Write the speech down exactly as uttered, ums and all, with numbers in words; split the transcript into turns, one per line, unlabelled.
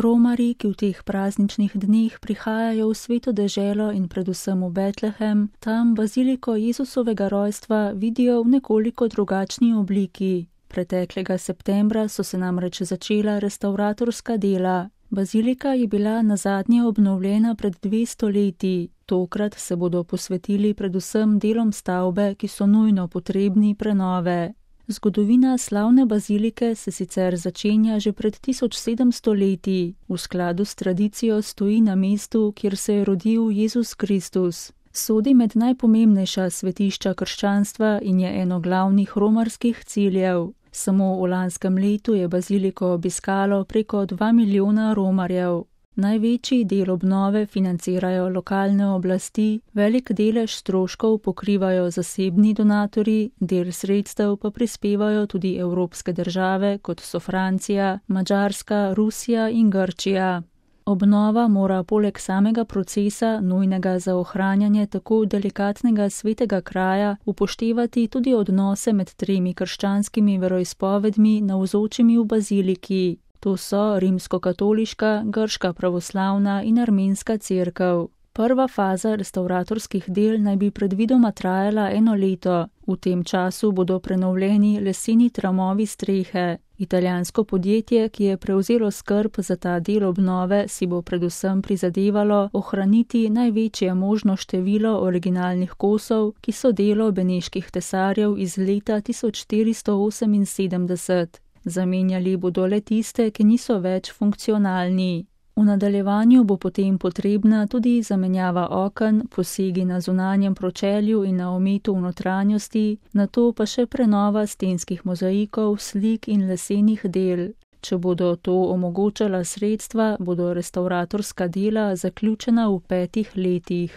Romarji, ki v teh prazničnih dneh prihajajo v sveto deželo in predvsem v Betlehem, tam baziliko Jezusovega rojstva vidijo v nekoliko drugačni obliki. Preteklega septembra so se namreč začela restavratorska dela. Bazilika je bila nazadnje obnovljena pred dvesto leti. Tokrat se bodo posvetili predvsem delom stavbe, ki so nujno potrebni prenove. Zgodovina slavne bazilike se sicer začenja že pred tisoč sedemsto leti. V skladu s tradicijo stoji na mestu, kjer se je rodil Jezus Kristus. Sodi med najpomembnejša svetišča krščanstva in je eno glavnih romarskih ciljev. Samo v lanskem letu je baziliko obiskalo preko dva milijona Romarjev. Največji del obnove financirajo lokalne oblasti, velik delež stroškov pokrivajo zasebni donatorji, del sredstev pa prispevajo tudi evropske države, kot so Francija, Madžarska, Rusija in Grčija. Obnova mora poleg samega procesa, nujnega za ohranjanje tako delikatnega svetega kraja, upoštevati tudi odnose med tremi krščanskimi veroizpovedmi navzočimi v baziliki. To so rimskokatoliška, grška pravoslavna in armenska cerkev. Prva faza restavratorskih del naj bi predvidoma trajala eno leto. V tem času bodo prenovljeni leseni tramovi strehe. Italijansko podjetje, ki je prevzelo skrb za ta del obnove, si bo predvsem prizadevalo ohraniti največje možno število originalnih kosov, ki so delo beneških tesarjev iz leta tisoč štiristo oseminsedemdeset. Zamenjali bodo le tiste, ki niso več funkcionalni. V nadaljevanju bo potem potrebna tudi zamenjava oken, posegi na zunanjem pročelju in na ometu v notranjosti, nato pa še prenova stenskih mozaikov, slik in lesenih del. Če bodo to omogočala sredstva, bodo restavratorska dela zaključena v petih letih.